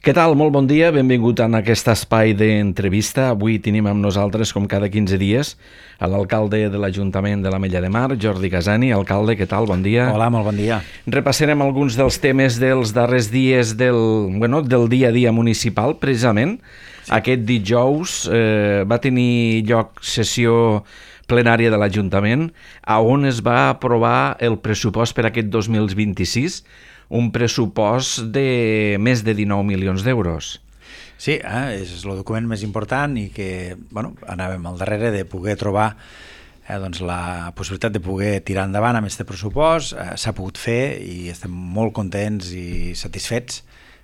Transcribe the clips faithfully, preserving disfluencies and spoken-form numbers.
Què tal? Molt bon dia, benvingut en aquest espai d'entrevista. Avui tenim amb nosaltres, com cada quinze dies, a l'alcalde de l'Ajuntament de l'Ametlla de Mar, Jordi Casani. Alcalde, què tal? Bon dia. Hola, molt bon dia. Repassarem alguns dels temes dels darrers dies del, bueno, del dia a dia municipal, precisament. Sí. Aquest dijous eh, va tenir lloc sessió plenària de l'Ajuntament, a on es va aprovar el pressupost per aquest dos mil vint-i-sis, un pressupost de més de dinou milions d'euros. Sí, eh, és el document més important i que bueno, anàvem al darrere de poder trobar eh, doncs la possibilitat de poder tirar endavant amb aquest pressupost. Eh, s'ha pogut fer i estem molt contents i satisfets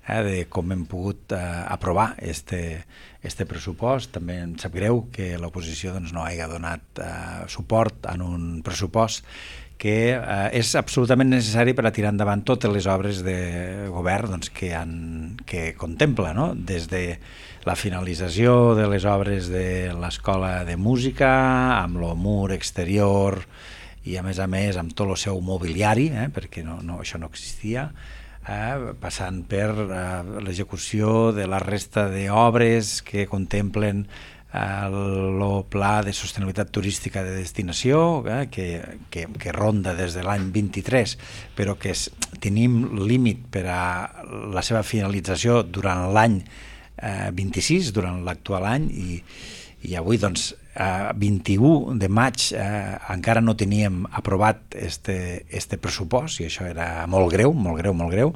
eh, de com hem pogut eh, aprovar este, este pressupost. També em sap greu que l'oposició doncs, no hagi donat eh, suport en un pressupost que eh, és absolutament necessari per a tirar endavant totes les obres de govern doncs, que, han, que contempla, no? Des de la finalització de les obres de l'Escola de Música, amb el mur exterior i a més a més amb tot el seu mobiliari, eh, perquè no, no, això no existia, eh, passant per eh, l'execució de la resta d'obres que contemplen el pla de sostenibilitat turística de destinació eh, que, que, que ronda des de l'any vint-i-tres, però que és, tenim límit per a la seva finalització durant l'any eh, vint-i-sis, durant l'actual any, i, i avui doncs a vint-i-u de maig eh, encara no teníem aprovat este, este pressupost, i això era molt greu, molt greu, molt greu.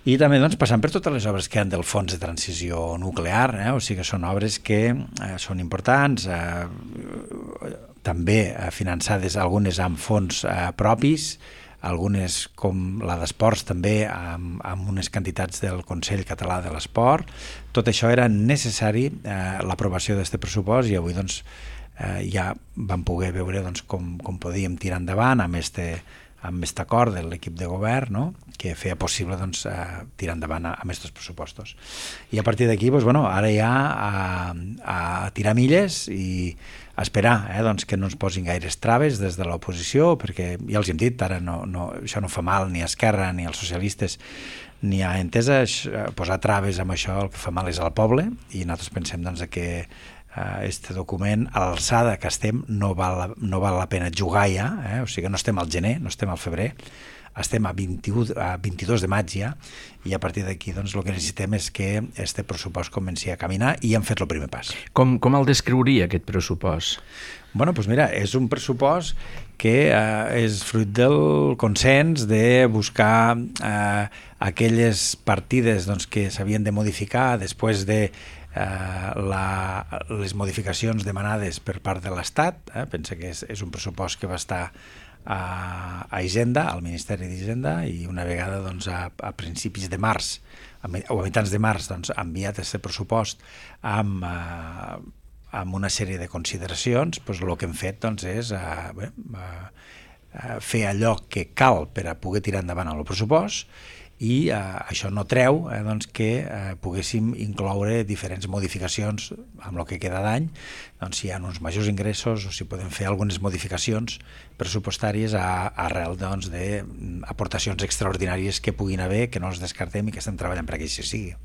I també doncs, passant per totes les obres que hi ha del Fons de Transició Nuclear, eh? O sigui que són obres que eh, són importants, eh, també eh, finançades algunes amb fons eh, propis, algunes com la d'esports també amb, amb unes quantitats del Consell Català de l'Esport. Tot això era necessari, eh, l'aprovació d'aquest pressupost, i avui doncs, eh, ja vam poder veure doncs, com, com podíem tirar endavant amb este amb aquest acord de l'equip de govern, no? Que feia possible doncs, eh, tirar endavant amb aquests pressupostos. I a partir d'aquí, doncs, bueno, ara ja a, a tirar milles i a esperar eh, doncs, que no ens posin gaires traves des de l'oposició, perquè ja els hem dit, ara no, no, això no fa mal ni a Esquerra ni als socialistes ni a Entesa, posar traves amb això el que fa mal és al poble, i nosaltres pensem doncs, que este document, a l'alçada que estem, no val, no val la pena jugar ja, eh? O sigui, no estem al gener, no estem al febrer, estem a, vint-i-u, a vint-i-dos de maig ja, i a partir d'aquí doncs, el que necessitem és que este pressupost comenci a caminar, i hem fet el primer pas. Com, com el descriuria, aquest pressupost? Bueno, doncs mira, és un pressupost que eh, és fruit del consens de buscar eh, aquelles partides doncs, que s'havien de modificar després de Eh, la, les modificacions demanades per part de l'Estat. Eh? Pensa que és, és un pressupost que va estar a, a Hisenda, al Ministeri d'Hisenda, i una vegada doncs, a, a principis de març a, o a mitjans de març doncs, ha enviat aquest pressupost amb, eh, amb una sèrie de consideracions. Doncs, el que hem fet doncs, és eh, bé, eh, fer allò que cal per a poder tirar endavant el pressupost, i eh, això no treu eh, doncs que eh, poguéssim incloure diferents modificacions amb el que queda d'any, doncs si hi ha uns majors ingressos o si podem fer algunes modificacions pressupostàries a, arrel doncs, d'aportacions extraordinàries que puguin haver, que no els descartem i que estem treballant perquè així sigui.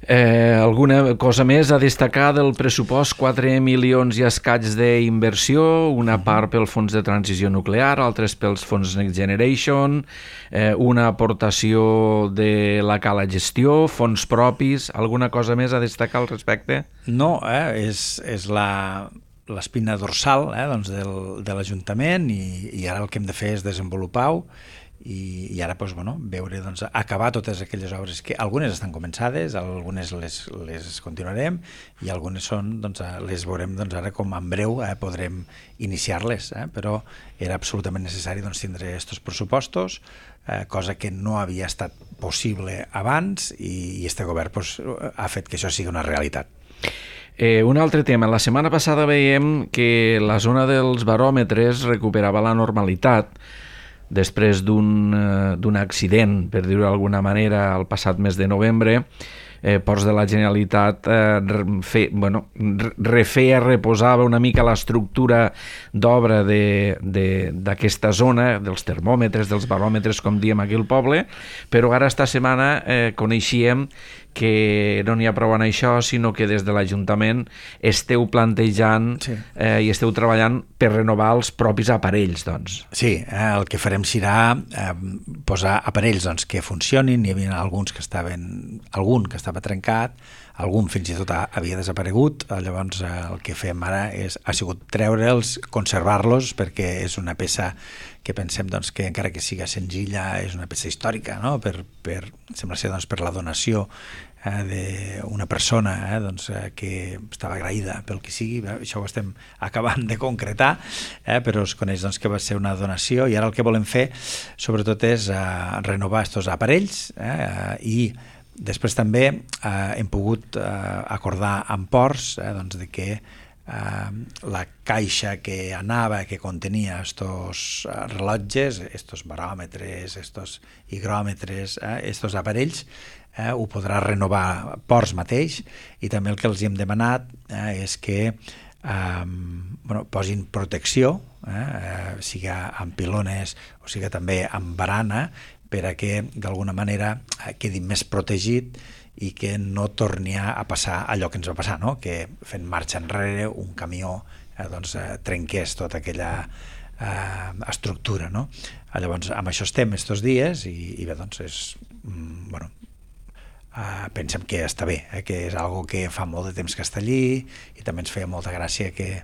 Eh, alguna cosa més a destacar del pressupost? quatre milions i escaig d'inversió, una part pel Fons de Transició Nuclear, altres pels Fons Next Generation, eh, una aportació de la Cala Gestió, fons propis, alguna cosa més a destacar al respecte? No, eh, és, és la l'espina dorsal eh, doncs del, de l'Ajuntament, i, i ara el que hem de fer és desenvolupar-ho, i, i ara doncs, bueno, veure, doncs, acabar totes aquelles obres que algunes estan començades, algunes les, les continuarem, i algunes són, doncs, les veurem doncs, ara com en breu eh, podrem iniciar-les, eh, però era absolutament necessari doncs, tindre aquests pressupostos, eh, cosa que no havia estat possible abans, i, i este govern doncs, ha fet que això sigui una realitat. Eh, un altre tema. La setmana passada veiem que la zona dels baròmetres recuperava la normalitat després d'un, eh, d'un accident, per dir-ho d'alguna manera, el passat mes de novembre, eh, Ports de la Generalitat eh, fe, bueno, refeia, reposava una mica l'estructura d'obra d'aquesta zona, dels termòmetres, dels baròmetres, com diem aquí al poble, però ara esta setmana eh, coneixíem que no n'hi ha prou en això, sinó que des de l'Ajuntament esteu plantejant sí. eh, i esteu treballant per renovar els propis aparells, doncs. Sí, eh, el que farem serà eh, posar aparells doncs, que funcionin. Hi havia alguns que estaven, algun que estava trencat, algun fins i tot havia desaparegut. Llavors eh, el que fem ara és, ha sigut treure'ls, conservar-los, perquè és una peça que pensem doncs, que encara que siga senzilla és una peça històrica, no? per, per, sembla ser doncs, per la donació eh, d'una persona eh, doncs, eh, que estava agraïda pel que sigui. Eh, això ho estem acabant de concretar, eh, però es coneix doncs, que va ser una donació, i ara el que volem fer sobretot és eh, renovar aquests aparells eh, i després també eh, hem pogut eh, acordar amb Ports eh, doncs, de que Uh, la caixa que anava, que contenia estos uh, rellotges, estos baròmetres, estos higròmetres, eh, estos aparells, eh, ho podrà renovar Ports mateix, i també el que els hem demanat eh, és que um, bueno, posin protecció, eh, eh, siga amb pilones o siga també amb barana, per a que d'alguna manera eh, quedi més protegit i que no torni a passar allò que ens va passar, no? Que fent marxa enrere un camió eh, doncs, eh, trenqués tota aquella eh, estructura, no? Llavors, amb això estem estos dies, i, i bé, doncs és, mm, bueno, eh, pensem que està bé, eh, que és algo que fa molt de temps que està allí, i també ens feia molta gràcia que,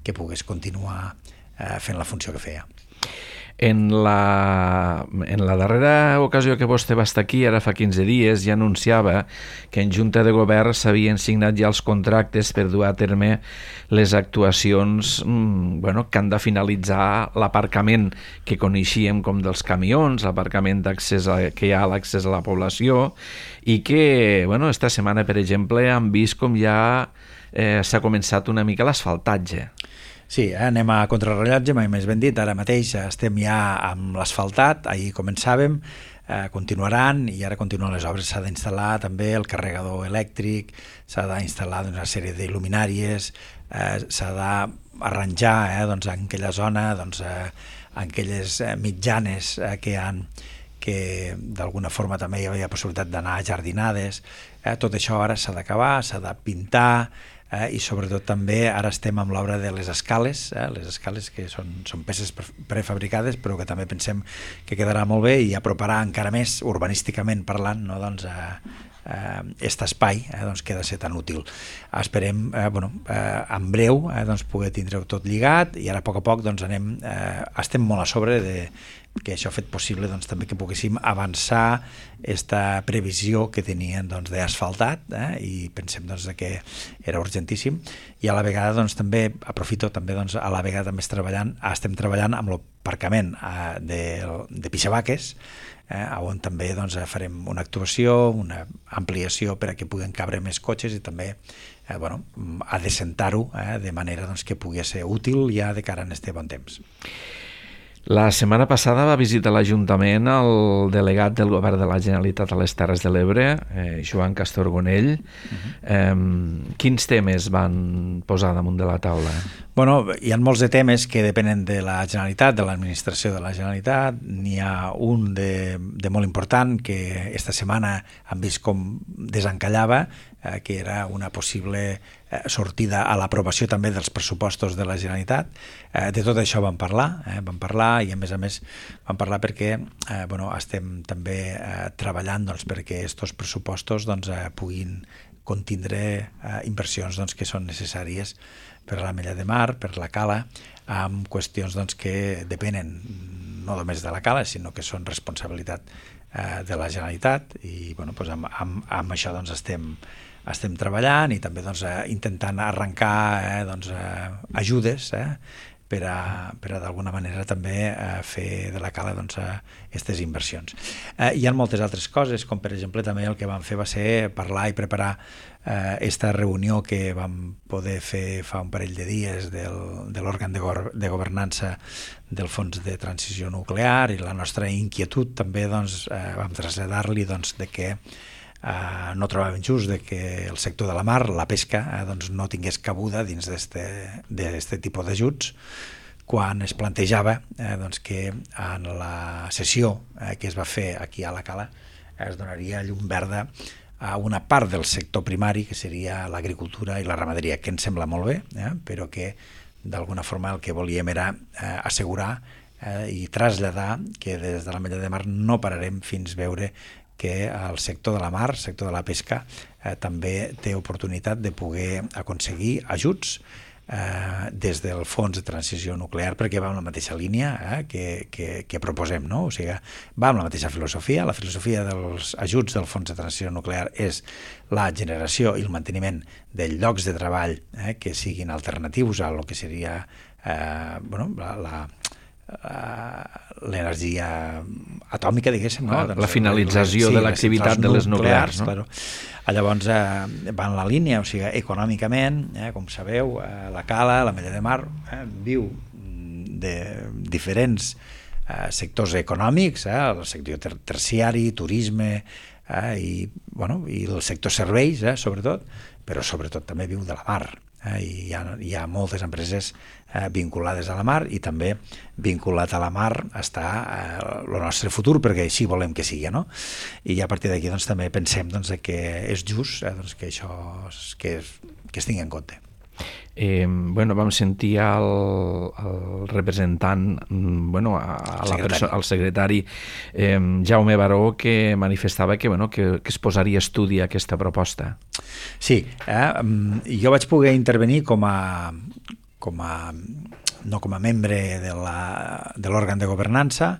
que pogués continuar eh, fent la funció que feia. En la, en la darrera ocasió que vostè va estar aquí, ara fa quinze dies, ja anunciava que en Junta de Govern s'havien signat ja els contractes per dur a terme les actuacions mmm, bueno, que han de finalitzar l'aparcament que coneixíem com dels camions, l'aparcament d'accés a, que hi ha a l'accés a la població, i que bueno, esta setmana, per exemple, han vist com ja eh, s'ha començat una mica l'asfaltatge. Sí, eh, anem a contrarrellotge, mai més ben dit. Ara mateix estem ja amb l'asfaltat, ahir començàvem, eh, continuaran, i ara continuen les obres. S'ha d'instal·lar també el carregador elèctric, s'ha d'instal·lar una sèrie d'il·luminàries, eh, s'ha d'arranjar eh, doncs, en aquella zona, doncs, eh, en aquelles eh, mitjanes eh, que hi ha, que d'alguna forma també hi havia possibilitat d'anar jardinades. Eh, tot això ara s'ha d'acabar, s'ha de pintar, Eh, i sobretot també ara estem amb l'obra de les escales, eh, les escales que són, són peces prefabricades, però que també pensem que quedarà molt bé i aproparà encara més, urbanísticament parlant, no, doncs, eh, eh, aquest espai eh, doncs, que ha de ser tan útil. Esperem eh, bueno, eh, en breu eh, doncs, poder tindre-ho tot lligat, i ara a poc a poc doncs, anem, eh, estem molt a sobre de que això ha fet possible doncs, també que poguéssim avançar aquesta previsió que tenien doncs, d'asfaltat, eh, i pensem doncs, que era urgentíssim, i a la vegada doncs, també aprofito també doncs, a la vegada també treballant, estem treballant amb l'aparcament eh, de, de Pixabaques, eh, on també doncs, farem una actuació, una ampliació per a que puguen cabre més cotxes, i també eh, bueno, adecentar-ho eh, de manera doncs, que pugui ser útil ja de cara a este bon temps. La setmana passada va visitar l'Ajuntament el delegat del Govern de la Generalitat a les Terres de l'Ebre, eh, Joan Castorgonell. Uh-huh. Eh, quins temes van posar damunt de la taula? Bueno, hi ha molts de temes que depenen de la Generalitat, de l'administració de la Generalitat. N'hi ha un de, de molt important que esta setmana han vist com desencallava, eh, que era una possible eh, sortida a l'aprovació també dels pressupostos de la Generalitat. Eh, de tot això vam parlar, eh, vam parlar i a més a més vam parlar perquè eh, bueno, estem també eh, treballant doncs, perquè aquests pressupostos doncs, eh, puguin contindre eh, inversions doncs, que són necessàries per a la Mella de Mar, per la Cala, amb qüestions doncs, que depenen no només de la Cala, sinó que són responsabilitat eh, de la Generalitat, i bueno, doncs amb, amb, amb això doncs, estem, estem treballant, i també doncs, eh, intentant arrencar eh, doncs, eh, ajudes eh, per a, per a d'alguna manera també eh, fer de la Cala doncs, aquestes inversions. Eh, hi ha moltes altres coses, com per exemple també el que vam fer va ser parlar i preparar aquesta eh, reunió que vam poder fer fa un parell de dies del, de l'òrgan de, go de governança del Fons de Transició Nuclear, i la nostra inquietud també doncs, eh, vam traslladar-li doncs, de que eh, no trobàvem just de que el sector de la mar, la pesca, eh, doncs no tingués cabuda dins d'aquest tipus d'ajuts, quan es plantejava eh, doncs que en la sessió eh, que es va fer aquí a la Cala es donaria llum verda a una part del sector primari, que seria l'agricultura i la ramaderia, que ens sembla molt bé, eh, però que d'alguna forma el que volíem era eh, assegurar eh, i traslladar que des de l'Ametlla de Mar no pararem fins veure que el sector de la mar, el sector de la pesca, eh, també té oportunitat de poder aconseguir ajuts eh, des del Fons de Transició Nuclear, perquè va en la mateixa línia eh, que, que, que proposem, no? O sigui, va amb la mateixa filosofia. La filosofia dels ajuts del Fons de Transició Nuclear és la generació i el manteniment de llocs de treball eh, que siguin alternatius a lo que seria eh, bueno, la, la l'energia atòmica, diguéssim, no? La, la finalització sí, de l'activitat de les nuclears, no? Claro. Llavors eh, va en la línia, o sigui, econòmicament, eh, com sabeu, eh, la Cala, l'Ametlla de Mar, eh, viu de diferents eh, sectors econòmics, eh, el sector ter terciari, turisme, eh, i, bueno, i el sector serveis, eh, sobretot, però sobretot també viu de la mar. Eh, i hi ha, hi ha moltes empreses eh, vinculades a la mar, i també vinculat a la mar està eh, el nostre futur, perquè així volem que sigui, no? I a partir d'aquí doncs, també pensem doncs, que és just eh, doncs, que això que, que es tingui en compte. Eh, bueno, vam sentir el, el representant, bueno, a, a la persona, al secretari eh, Jaume Baró, que manifestava que, bueno, que, que es posaria a estudi aquesta proposta. Sí, eh, jo vaig poder intervenir com a, com a no com a membre de l'òrgan de governança,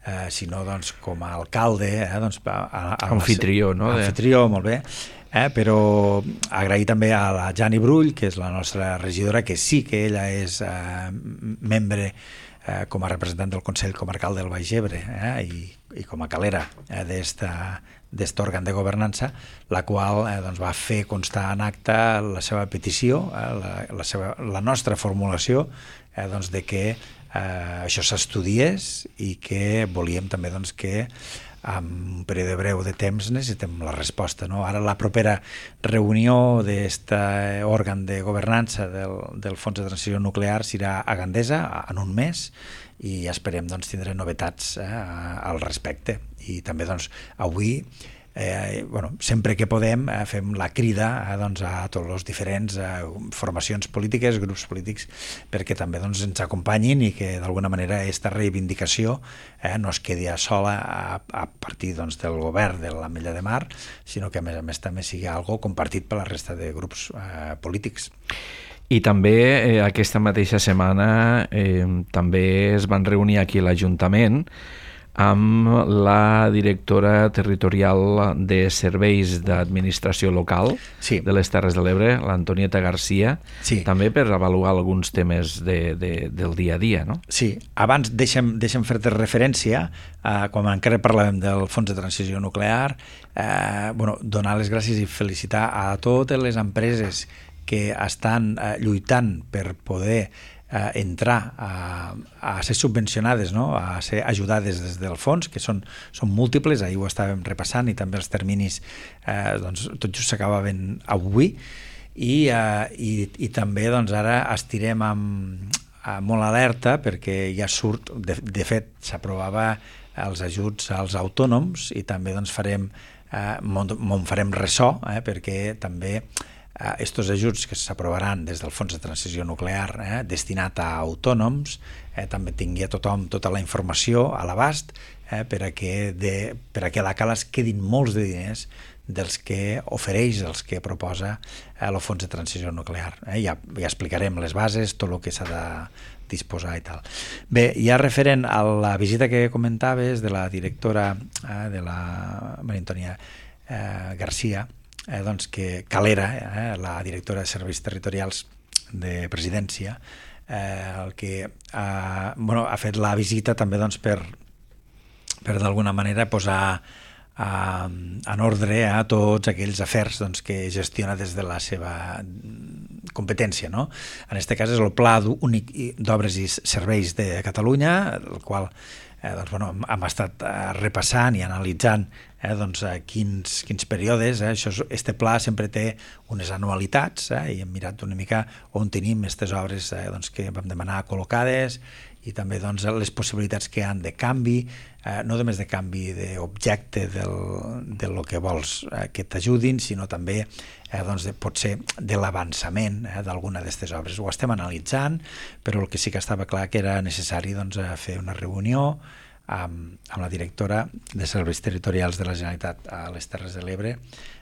eh, sinó doncs, com a alcalde, eh, doncs, a, a, a anfitrió, no? Anfitrió, molt bé. Eh, però agrair també a la Jani Brull, que és la nostra regidora, que sí que ella és eh, membre eh, com a representant del Consell Comarcal del Baix Ebre eh, i, i com a calera eh, d'aquest òrgan de governança, la qual eh, doncs va fer constar en acte la seva petició, eh, la, la, seva, la nostra formulació eh, doncs de que eh, això s'estudiés i que volíem també doncs, que en un període breu de temps necessitem la resposta, no? Ara la propera reunió d'aquest òrgan de governança del, del Fons de Transició Nuclear serà a Gandesa en un mes, i esperem doncs, tindre novetats eh, al respecte. I també doncs, avui Eh, bueno, sempre que podem eh, fem la crida eh, doncs, a tots els diferents eh, formacions polítiques, grups polítics, perquè també doncs, ens acompanyin i que d'alguna manera aquesta reivindicació eh, no es quedi sola a, a partir doncs, del govern de l'Ametlla de Mar, sinó que a més a més també sigui algo compartit per la resta de grups eh, polítics. I també eh, aquesta mateixa setmana eh, també es van reunir aquí a l'Ajuntament amb la directora territorial de Serveis d'Administració Local sí. de les Terres de l'Ebre, l'Antonieta Garcia, sí. també per avaluar alguns temes de, de, del dia a dia, no? Sí, abans deixa'm, deixa'm fer-te referència, eh, quan encara parlàvem del Fons de Transició Nuclear, eh, bueno, donar les gràcies i felicitar a totes les empreses que estan eh, lluitant per poder eh, entrar a, a ser subvencionades, no? A ser ajudades des del fons, que són, són múltiples, ahir ho estàvem repassant, i també els terminis eh, doncs, tot just s'acabaven avui, i, eh, i, i també doncs, ara estirem amb, amb molt alerta perquè ja surt, de, de fet s'aprovava els ajuts als autònoms, i també doncs, farem, eh, m'on farem ressò, eh, perquè també estos ajuts que s'aprovaran des del Fons de Transició Nuclear eh, destinat a autònoms eh, també tingui a tothom tota la informació a l'abast eh, per a que de, per a que a la Cala es quedin molts de diners dels que ofereix, dels que proposa eh, el Fons de Transició Nuclear. Eh, ja, ja explicarem les bases, tot el que s'ha de disposar i tal. Bé, ja referent a la visita que comentaves de la directora eh, de la Maria Antònia eh, Garcia, Eh, doncs que Calera, eh, la directora de Serveis Territorials de Presidència, eh, el que eh, bueno, ha fet la visita també doncs, per, per d'alguna manera posar eh, en ordre a tots aquells afers doncs, que gestiona des de la seva competència. No? En aquest cas és el Pla Únic d'Obres i Serveis de Catalunya, el qual eh, doncs, bueno, hem, hem estat eh, repassant i analitzant eh, doncs, eh, quins, quins períodes. Eh, això, este pla sempre té unes anualitats eh, i hem mirat una mica on tenim aquestes obres eh, doncs, que vam demanar col·locades i també doncs, les possibilitats que hi ha de canvi, eh, no només de canvi d'objecte del, de lo que vols eh, que t'ajudin, sinó també eh, doncs, de, potser de l'avançament eh, d'alguna d'aquestes obres. Ho estem analitzant, però el que sí que estava clar que era necessari doncs, fer una reunió amb, amb la directora de Serveis Territorials de la Generalitat a les Terres de l'Ebre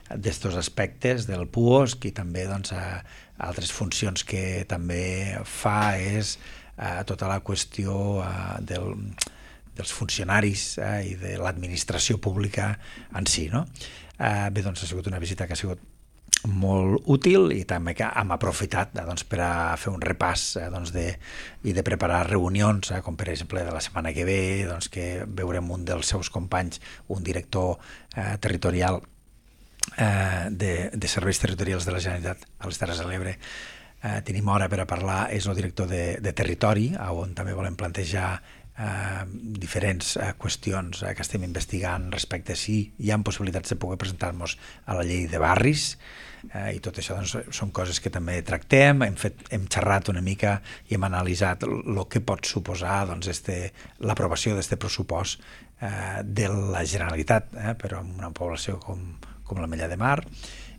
d'estos aspectes del puosc i també doncs, a, a altres funcions que també fa és a tota la qüestió uh, del, dels funcionaris uh, i de l'administració pública en si. No? Uh, bé, doncs ha sigut una visita que ha sigut molt útil i també que hem aprofitat uh, doncs, per a fer un repàs uh, doncs, de, i de preparar reunions, uh, com per exemple de la setmana que ve, doncs, que veurem un dels seus companys, un director uh, territorial uh, de, de serveis territorials de la Generalitat a les Terres de l'Ebre. Eh, tenim hora per a parlar, és el director de, de territori, on també volem plantejar eh, diferents eh, qüestions eh, que estem investigant respecte a si hi ha possibilitats de poder presentar-nos a la llei de barris, eh, i tot això doncs, són coses que també tractem, hem, fet, hem xerrat una mica i hem analitzat el que pot suposar doncs, este, l'aprovació d'aquest pressupost eh, de la Generalitat, eh, però en una població com, com l'Ametlla de Mar.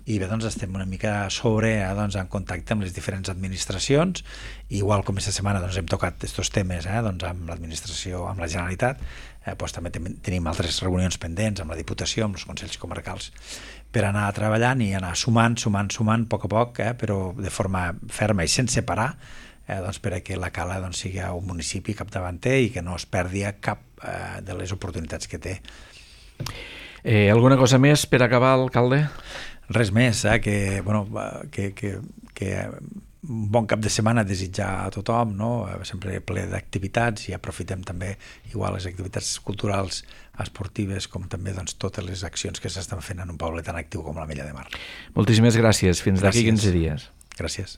I bé, doncs estem una mica sobre, eh, doncs, en contacte amb les diferents administracions, i igual com aquesta setmana doncs, hem tocat aquests temes eh, doncs, amb l'administració, amb la Generalitat, eh, doncs, també ten tenim altres reunions pendents amb la Diputació, amb els Consells Comarcals, per anar treballant i anar sumant, sumant, sumant, a poc a poc, eh, però de forma ferma i sense parar, eh, doncs, per a que la Cala doncs, sigui un municipi capdavanter i que no es perdi cap eh, de les oportunitats que té. Eh, alguna cosa més per acabar, alcalde? Res més, eh? que, bueno, que, que, que un bon cap de setmana a desitjar a tothom, no? Sempre ple d'activitats, i aprofitem també igual les activitats culturals, esportives, com també doncs, totes les accions que s'estan fent en un poble tan actiu com l'Ametlla de Mar. Moltíssimes gràcies. Fins d'aquí quinze dies. Gràcies.